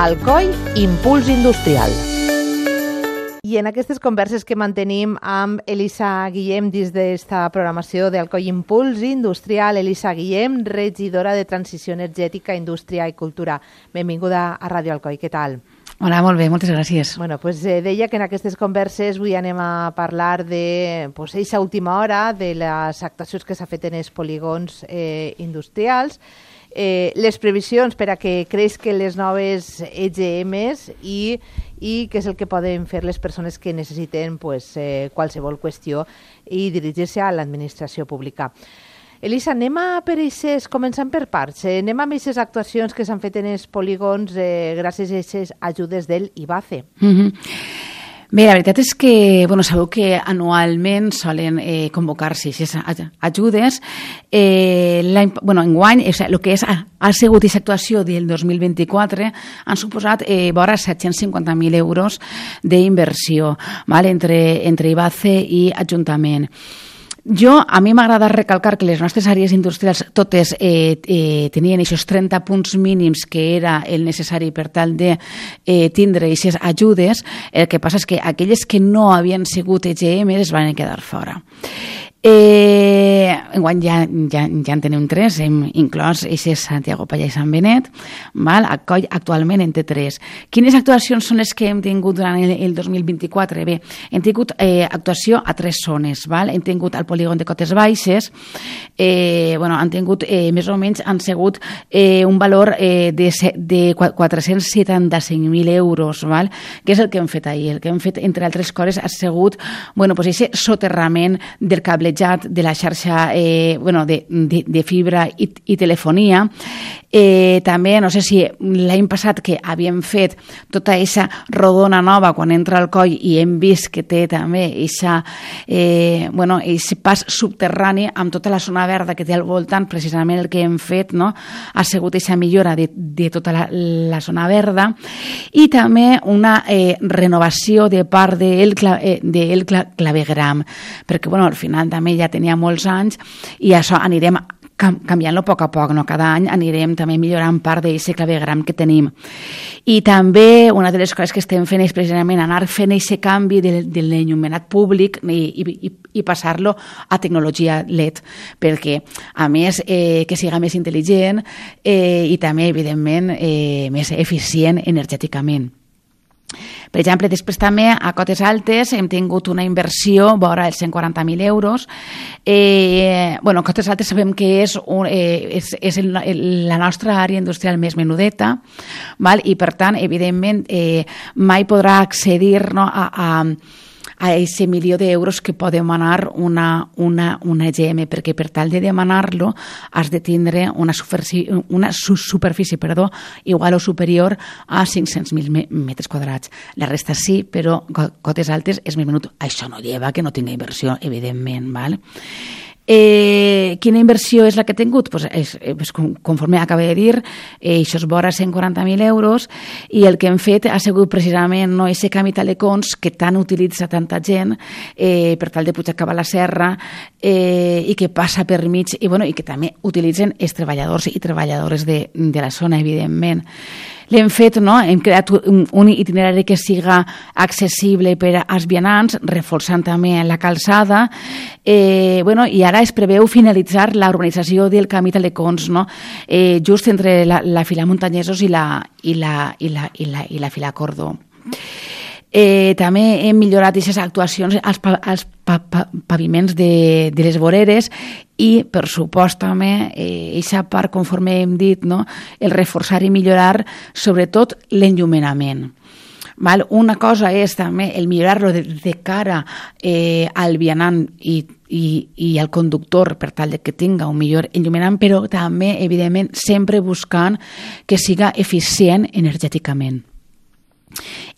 Alcoi Impuls Industrial. I en aquestes converses que mantenim amb Elisa Guillem dins d'esta programació d'Alcoi Impuls Industrial, Elisa Guillem, regidora de Transició Energètica, Indústria i Cultura. Benvinguda a Ràdio Alcoi, què tal? Hola, molt bé, moltes gràcies. Bueno, pues deia que en aquestes converses avui anem a parlar de eixa última hora, de les actuacions que s'ha fet en els polígons industrials, les previsions per a que creixin les noves EGMs i què és el que poden fer les persones que necessiten qualsevol qüestió i dirigir-se a l'administració pública. Elisa, anem començant per parts. Anem amb aquestes actuacions que s'han fet en els polígons gràcies a aquestes ajudes del IBACE. Bé, la veritat és que, sabeu que anualment solen convocar-se aquestes ajudes. Enguany, el que ha sigut aquesta actuació del 2024 han suposat vora 750.000 euros d'inversió entre IBACE i Ajuntament. A mi m'agrada recalcar que les nostres àrees industrials totes tenien aquests 30 punts mínims que era el necessari per tal de tindre aquestes ajudes. El que passa és que aquelles que no havien sigut EGM es van quedar fora. Enguany ja en tenim 3, hem inclòs eixes Santiago, Pallà i Sant Benet. Alcoi actualment en té 3. Quines actuacions són les que hem tingut durant el 2024? Bé, hem tingut actuació a 3 zones. Hem tingut al polígon de Cotes Baixes, han tingut més o menys han sigut un valor de 475.000 euros, que és el que hem fet ahir. El que hem fet, entre altres coses, ha sigut aquest soterrament del cable de la xarxa de fibra i telefonia. També, no sé si l'any passat que havíem fet tota aquesta rodona nova quan entra al Alcoi i hem vist que té també aquest pas subterrani amb tota la zona verda que té al voltant, precisament el que hem fet ha sigut aquesta millora de tota la zona verda i també una renovació de part del clavegram, perquè al final també ja tenia molts anys i això anirem canviant-lo a poc, cada any anirem també millorant part d'aquest clavegram que tenim. I també una de les coses que estem fent és precisament anar fent aquest canvi de l'enllumenat públic i passar-lo a tecnologia LED, perquè a més que siga més intel·ligent i també evidentment més eficient energèticament. Per exemple, després també a Cotes Altes hem tingut una inversió vora els 140.000 euros. Cotes Altes sabem que és la nostra àrea industrial més menudeta i, per tant, evidentment, mai podrà accedir a aquest milió d'euros que pot demanar una EGM, perquè per tal de demanar-lo has de tindre una superfície igual o superior a 500.000 metres quadrats. La resta sí, però Cotes Altes és més menut. Això no lleva que no tingui inversió, evidentment. Quina inversió és la que he tingut? Conforme acabo de dir, això és vora 140.000 euros i el que hem fet ha sigut precisament aquest canvi telecons que tant utilitza tanta gent per tal de poder acabar la serra i que passa per mig i que també utilitzen els treballadors i treballadores de la zona, evidentment. L'hem fet, hem creat un itinerari que siga accessible per als vianants, reforçant també la calçada, i ara es preveu finalitzar la urbanització del camí Telecons, just entre la fila Muntanyesos i la fila Cordó. També hem millorat aquestes actuacions als paviments de les voreres i, per supost, també, aquesta part, conforme hem dit, el reforçar i millorar, sobretot, l'enllumenament. Una cosa és també el millorar-lo de cara al vianant i al conductor per tal que tinga un millor enllumenament, però també, evidentment, sempre buscant que siga eficient energèticament.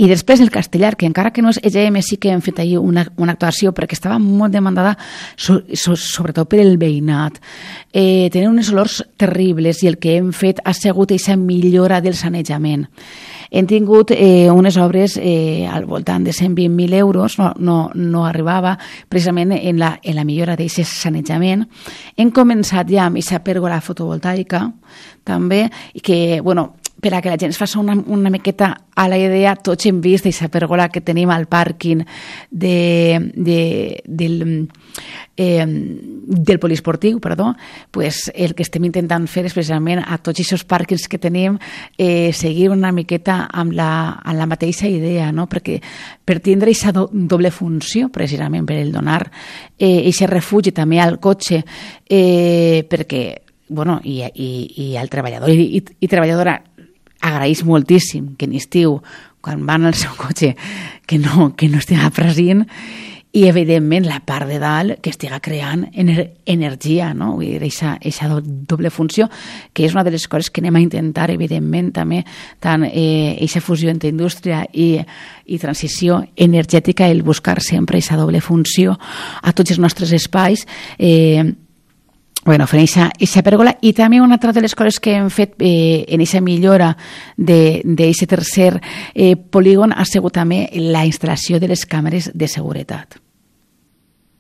I després el Castellar, que encara que no és EGM, sí que hem fet ahir una actuació perquè estava molt demandada, sobretot per el veïnat. Tenen unes olors terribles i el que hem fet ha sigut aquesta millora del sanejament. Hem tingut unes obres al voltant de 120.000 euros, no arribava precisament en la millora d'aquest sanejament. Hem començat ja amb aquesta pèrgola fotovoltaica també, que, per a que la gent es faci una miqueta a la idea, tots hem vist aquesta pèrgola que tenim al pàrquing del poliesportiu, pues el que estem intentant fer és precisament a tots aquests pàrquings que tenim seguir una miqueta amb la mateixa idea, no? Perquè per tindre aquesta doble funció, precisament per el donar aquest refugi també al cotxe, perquè i el treballador i treballadora agraeix moltíssim que en estiu, quan van al seu cotxe, que no estigui present, i evidentment la part de dalt que estiga creant energia, no? Vull dir, aquesta doble funció, que és una de les coses que anem a intentar, evidentment, també, tant aquesta fusió entre indústria i transició energètica, el buscar sempre aquesta doble funció a tots els nostres espais, fent aquesta pèrgola. I també una altra de les coses que hem fet en aquesta millora d'aquest tercer polígon ha sigut també la instal·lació de les càmeres de seguretat.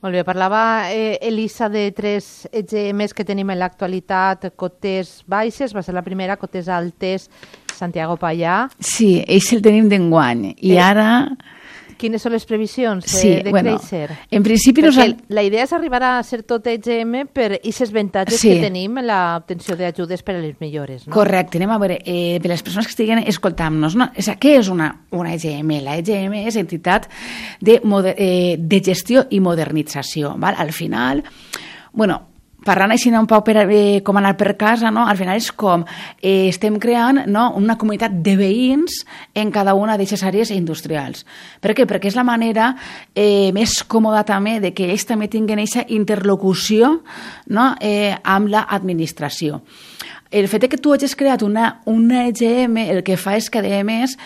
Molt bé, parlava Elisa de 3 EGMs que tenim en l'actualitat, Cotes Baixes, va ser la primera, Cotes Altes, Santiago Pallà. Sí, ells el tenim d'enguany, i ara... Quines són les previsions de créixer? En principi la idea és arribar a ser tot EGM per aquests avantatges que tenim en l'obtenció d'ajudes per a les millores. No? Correcte. Anem a veure, per les persones que estiguen escoltant-nos, no? Què és una EGM? La EGM és entitat de gestió i modernització. Val? Al final, parlant així un poc com anar per casa, no? Al final és com estem creant, no, una comunitat de veïns en cada una d'aquestes àrees industrials. Per què? Perquè és la manera més còmoda també de que ells també tinguin aquesta interlocució, no, amb l'administració. El fet que tu hagis creat una EGM el que fa és que, a més,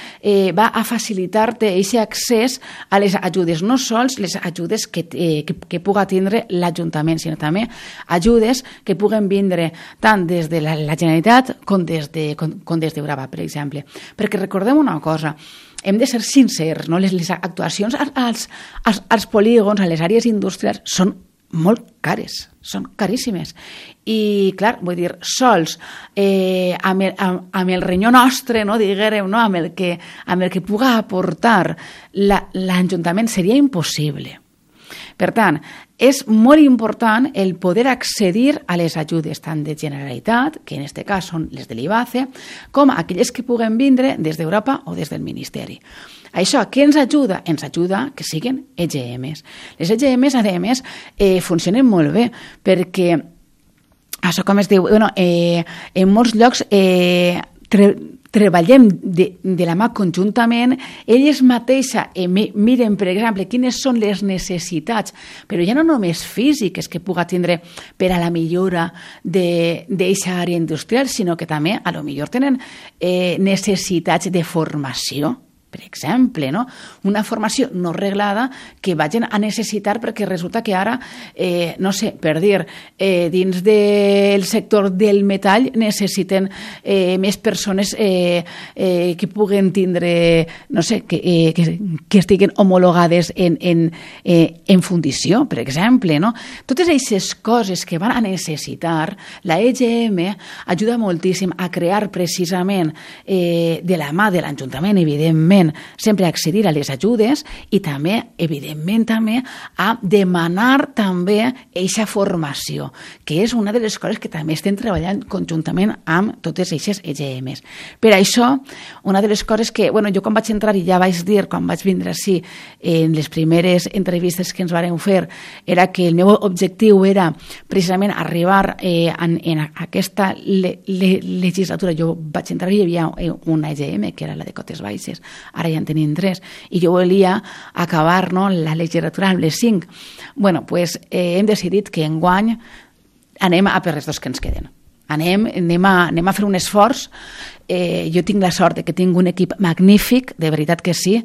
va a facilitar-te aquest accés a les ajudes, no sols les ajudes que puga tindre l'Ajuntament, sinó també ajudes que puguen vindre tant des de la Generalitat com des d'Eurava, per exemple. Perquè recordem una cosa, hem de ser sincers, no? Les actuacions als polígons, a les àrees industrials, són molt cares, són caríssimes. I, clar, vull dir, sols amb el renyó nostre, no, diguérem, no, amb el que puga aportar l'Ajuntament seria impossible. Per tant, és molt important el poder accedir a les ajudes tant de Generalitat, que en aquest cas són les de l'IBACE, com aquelles que puguen vindre des d'Europa o des del Ministeri. Això, què ens ajuda? Ens ajuda que siguin EGMs. Les EGMs, a més, funcionen molt bé, perquè, això com es diu, en molts llocs treballem de la mà conjuntament, elles mateixes miren, per exemple, quines són les necessitats, però ja no només físiques que puga tindre per a la millora d'aquesta àrea industrial, sinó que també, a lo millor, tenen necessitats de formació, per exemple, no? Una formació no reglada que vagin a necessitar perquè resulta que ara, no sé, per dir, dins del sector del metall necessiten més persones que puguen tindre, no sé, que estiguen homologades en fundició, per exemple, no? Totes aquestes coses que van a necessitar, la EGM ajuda moltíssim a crear precisament de la mà de l'Ajuntament, evidentment, sempre accedir a les ajudes i també, evidentment, també a demanar també aquesta formació, que és una de les coses que també estem treballant conjuntament amb totes aquestes EGMs. Per això, una de les coses que, jo quan vaig entrar i ja vaig dir, quan vaig vindre així, en les primeres entrevistes que ens vàrem fer, era que el meu objectiu era precisament arribar en aquesta legislatura. Jo vaig entrar i hi havia una EGM, que era la de Cotes Baixes, ara ja en tenim 3, i jo volia acabar, no, la legislatura amb les 5. Doncs hem decidit que enguany anem a per les 2 que ens queden. Anem a fer un esforç. Jo tinc la sort que tinc un equip magnífic, de veritat que sí.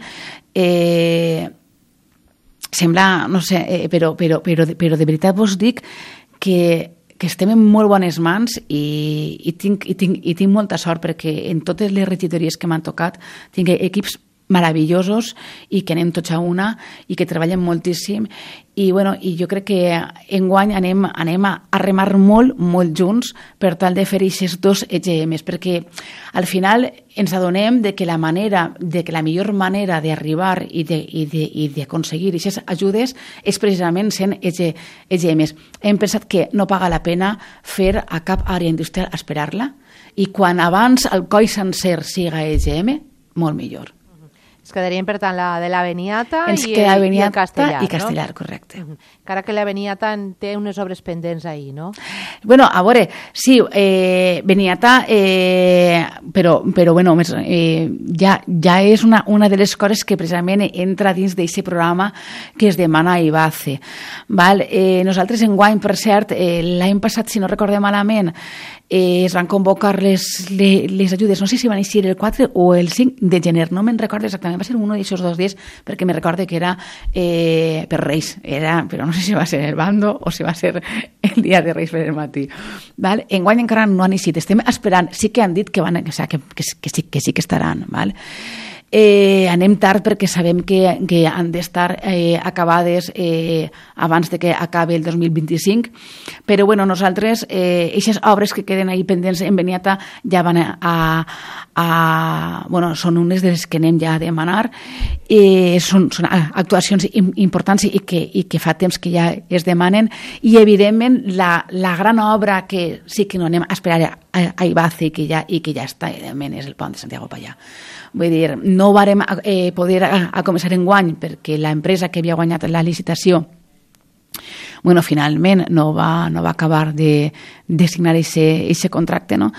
Sembla, no sé, però de veritat vos dic que estem en molt bones mans i tinc molta sort perquè en totes les regidories que m'han tocat tinc equips meravellosos i que anem tots a una i que treballem moltíssim i jo crec que enguany anem a remar molt junts per tal de fer aquests 2 EGMs, perquè al final ens adonem de que la millor manera d'arribar i d'aconseguir aquestes ajudes és precisament sent EGMs. Hem pensat que no paga la pena fer a cap àrea industrial esperar-la i quan abans el coll sencer siga EGM, molt millor. Es quedarien, per tant, la de la Beniata i el Castellar, i Castellar, no? Correcte. Encara que la Beniata té unes obres pendents ahí, no? Bueno, a veure, sí, Beniata, però ja és una de les coses que precisament entra dins d'aquest programa que es demana a IBACE. Nosaltres enguany, per cert, l'any passat, si no recordem malament, es van convocar les ajudes, no sé si van eixir el 4 o el 5 de gener, no me'n recordo exactament, va ser un d'aquests 2 dies perquè me recorde que era per Reis, però no sé si va ser el bando o si va ser el dia de Reis per el matí. Enguany encara no han eixit, estem esperant, sí que han dit que sí que estaran. Anem tard perquè sabem que han d'estar acabades abans de que acabi el 2025, però nosaltres aquestes obres que queden ahí pendents en Beniata ja van són unes de les que anem ja a demanar, són actuacions importants i que fa temps que ja es demanen i evidentment la gran obra que sí que no anem a esperar a IBACE i que ja està, evidentment, és el pont de Santiago Pallà. Vull dir, no varem poder començar enguany perquè l'empresa que havia guanyat la licitació finalment no va acabar de signar aquest contracte, no?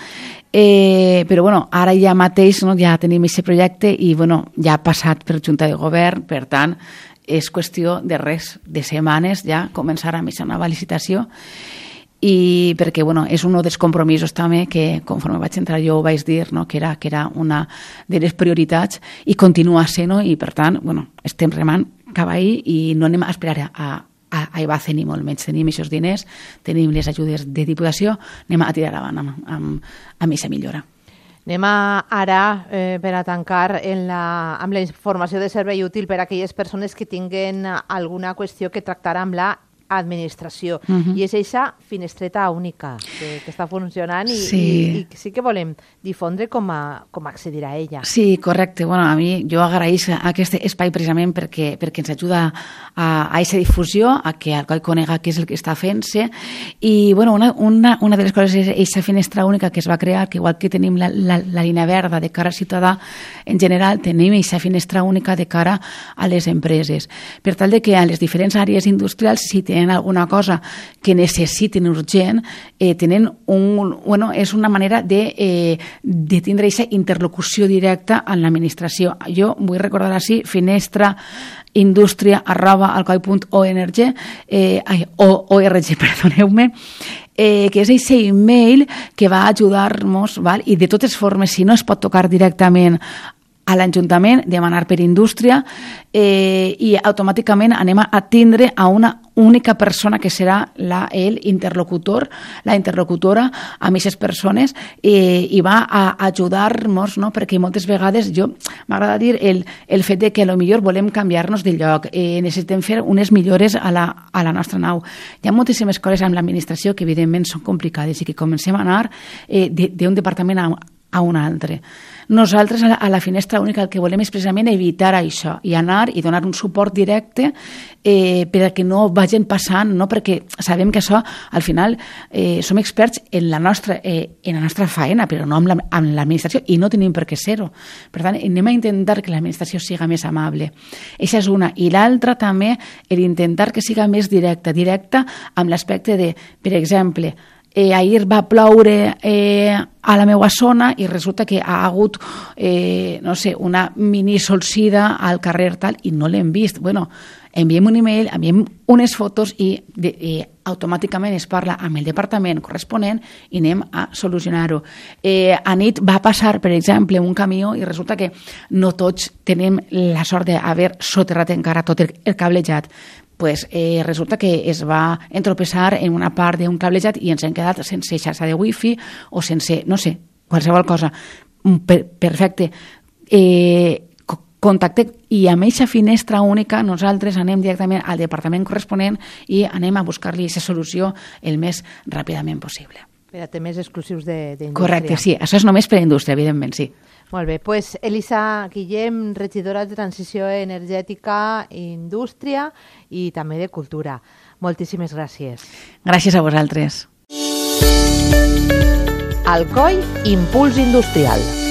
Però ara ja mateix ja tenim aquest projecte i ja ha passat per Junta de Govern, per tant és qüestió de setmanes ja començar amb aquesta nova licitació i perquè és un dels compromisos també que conforme vaig entrar jo ho vaig dir, que era una de les prioritats i continua sent, i per tant estem remant cap ahí i no anem a esperar a IBACE ni molt menys. Tenim aquests diners, tenim les ajudes de diputació, anem a tirar avant amb aquesta millora. Anem ara, per a tancar, amb la informació de servei útil per a aquelles persones que tinguen alguna qüestió que tractar amb la administració. I és aquesta finestreta única que està funcionant i sí que volem difondre com accedir a ella. Sí, correcte. A mi jo agraïsc aquest espai precisament perquè ens ajuda a aquesta difusió, a que el coll conega què és el que està fent-se i una de les coses és aquesta finestra única que es va crear, que igual que tenim la línia verda de cara al ciutadà, en general tenim aquesta finestra única de cara a les empreses. Per tal de que a les diferents àrees industrials, si tenen alguna cosa que necessiten urgent, tenen és una manera de tindre aquesta interlocució directa amb l'administració. Jo vull recordar així, finestraindustria@alcoi.org, perdoneu-me, que és aquest email que va ajudar-nos, i de totes formes, si no es pot tocar directament a l'Ajuntament, demanar per indústria i automàticament anem a tindre a una única persona que serà l'interlocutor, la interlocutora amb aquestes persones i va a ajudar-nos, perquè moltes vegades m'agrada dir el fet de que potser volem canviar-nos de lloc, necessitem fer unes millores a la nostra nau. Hi ha moltíssimes coses amb l'administració que evidentment són complicades i que comencem a anar d'un departament a un altre. Nosaltres a la finestra única el que volem és precisament evitar això i anar i donar un suport directe per a que no vagin passant, perquè sabem que això al final som experts en la nostra faena, però no amb l'administració i no tenim per què ser-ho. Per tant, anem a intentar que l'administració siga més amable. Aquesta és una. I l'altra també, intentar que siga més directa amb l'aspecte de, per exemple, ahir va ploure a la meva zona i resulta que ha hagut una mini solsida al carrer tal i no l'hem vist. Enviem un email, enviem unes fotos i automàticament es parla amb el departament corresponent i anem a solucionar-ho. A nit va passar, per exemple, un camió i resulta que no tots tenim la sort d'haver soterrat encara tot el cablejat. Resulta que es va entropessar en una part d'un cablejat i ens hem quedat sense xarxa de wifi o sense, no sé, qualsevol cosa. Perfecte. contacteu i amb aquesta finestra única nosaltres anem directament al departament corresponent i anem a buscar-li aquesta solució el més ràpidament possible. Per a temes exclusius d'indústria. Correcte, sí. Això és només per a indústria, evidentment, sí. Molt bé. Pues Elisa Guillem, regidora de Transició Energètica, Indústria i també de Cultura. Moltíssimes gràcies. Gràcies a vosaltres. Alcoi Impuls Industrial.